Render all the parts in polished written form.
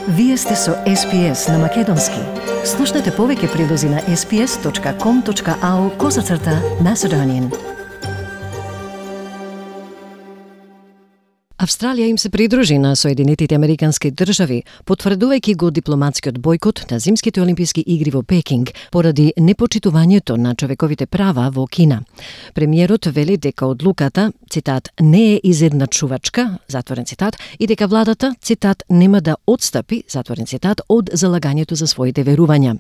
Вие сте со SPS на Македонски. Слушнете повеќе прилози на sps.com.au/Macedonian. Австралија им се придружи на Соединетите Американски држави, потврдувајќи го дипломатскиот бојкот на зимските олимписки игри во Пекинг поради непочитувањето на човековите права во Кина. Премиерот вели дека одлуката, цитат, не е изедначувачка, затворен цитат, и дека владата, цитат, нема да отстапи, затворен цитат, од залагањето за своите верувања.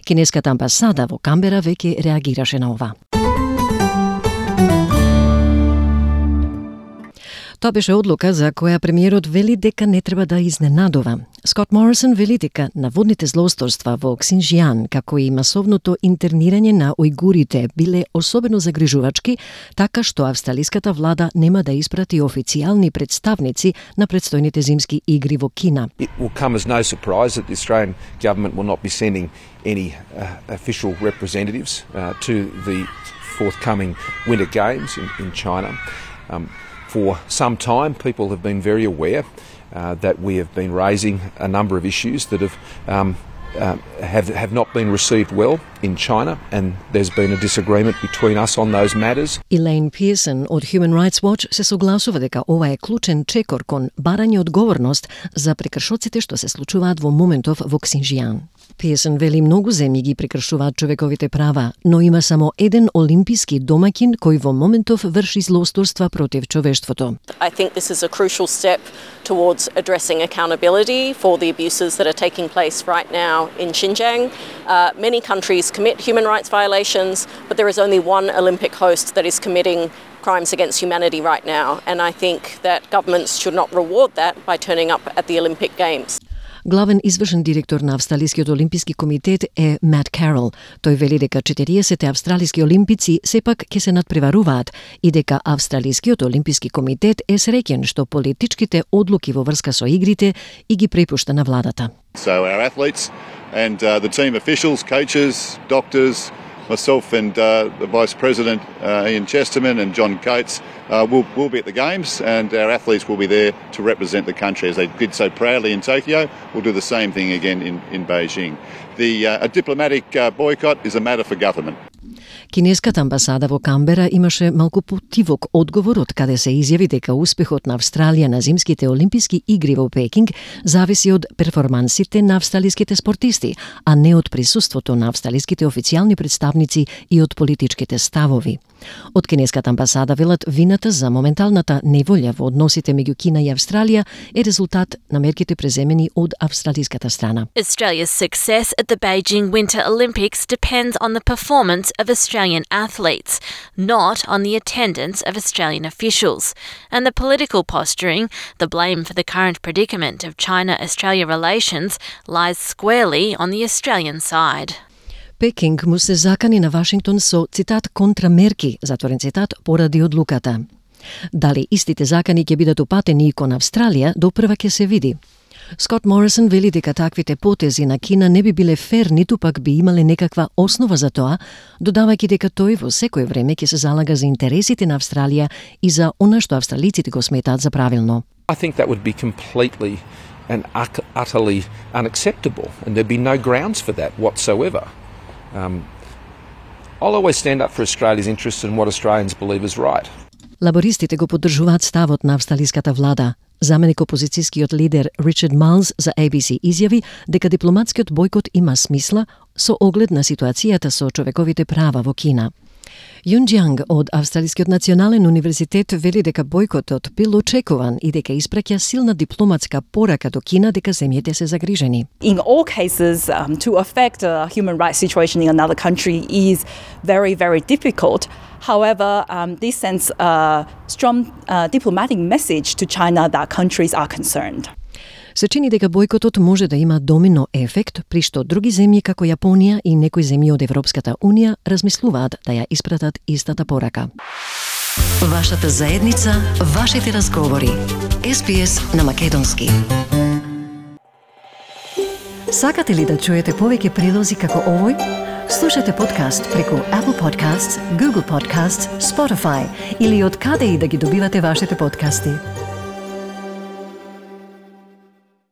Кинеската амбасада во Камбера веќе реагираше на ова. Тоа беше одлука за која премиерот вели дека не треба да изненадува. Скот Морисон вели дека наводните злоусторства во Ксинџијан, како и масовното интернирање на ујгурите биле особено загрижувачки, така што австралиската влада нема да испрати официјални представници на предстојните зимски игри во Кина. It will come as no surprise that the Australian government will not be sending any official representatives to the forthcoming Winter Games in China. For some time, people have been very aware that we have been raising a number of issues that have not been received well in China, and there's been a disagreement between us on those matters. Elaine Pearson од Human Rights Watch се согласува дека ова е клучен чекор кон барање одговорност за прекршоците што се случуваат во моментов во Ксинџијан. Pearson вели многу земји ги прекршуваат човековите права, но има само еден олимписки домаќин кој во моментов врши злоусторства против човештвото. I think this is a crucial step towards addressing accountability for the abuses that are taking place right now in Xinjiang. Many countries commit human rights violations, but there is only one Olympic host that is committing crimes against humanity right now, and I think that governments should not reward that by turning up at the Olympic Games. Главен извршен директор на Австралискиот олимписки комитет е Мат Карол. Тој вели дека 40 австралиски олимпици сепак ќе се надпреваруваат и дека Австралискиот олимписки комитет е среќен што политичките одлуки во врска со игрите и ги препушта на владата. So our athletes and the team officials, coaches, doctors, myself and the Vice President Ian Chesterman and John Coates will be at the Games, and our athletes will be there to represent the country as they did so proudly in Tokyo. We'll do the same thing again in Beijing. A diplomatic boycott is a matter for government. Кинеската амбасада во Камбера имаше малку потивок одговор од каде се изјави дека успехот на Австралија на зимските олимписки игри во Пекинг зависи од перформансите на австралиските спортисти, а не од присуството на австралиските официјални представници и од политичките ставови. Од кинеската амбасада велат вината за моменталната неволја во односите меѓу Кина и Австралија е резултат на мерките преземени од австралиската страна. Australia's success at the Beijing Winter Olympics depends on the performance of Australian athletes, not on the attendance of Australian officials. And the political posturing, the blame for the current predicament of China-Australia relations, lies squarely on the Australian side. Пекинг му се закани на Вашингтон со, цитат, контрамерки, затворен цитат, поради одлуката. Дали истите закани ќе бидат упатени и кон Австралија, допрва ќе се види. Скот Морисон вели дека таквите потези на Кина не би биле фер, ниту пак би имале некаква основа за тоа, додавајќи дека тој во секое време ќе се залага за интересите на Австралија и за она што австралиците го сметаат за правилно. I think that would be completely and utterly unacceptable, and there'd be no grounds for that whatsoever. I'll always stand up for Australia's interests and what Australians believe is right. Лабористите го поддржуваат ставот на австралиската влада. Заменик опозицијскиот лидер Ричард Малс за ABC изјави дека дипломатскиот бојкот има смисла со оглед на ситуацијата со човековите права во Кина. Юн Џанг од Австралискиот национален универзитет вели дека бојкотот бил очекуван и дека испраќа силна дипломатска порака до Кина дека земјите се загрижени. In all cases, to affect a human rights situation in another country is very, very difficult. However, this sends a strong diplomatic message to China that countries are concerned. Се чини дека бојкотот може да има домино ефект, при што други земји како Јапонија и некои земји од Европската Унија размислуваат да ја испратат истата порака. Вашата заедница, вашите разговори. SPS на Македонски. Сакате ли да чуете повеќе прилози како овој? Слушате подкаст преку Apple Podcasts, Google Podcasts, Spotify или од каде и да ги добивате вашите подкасти.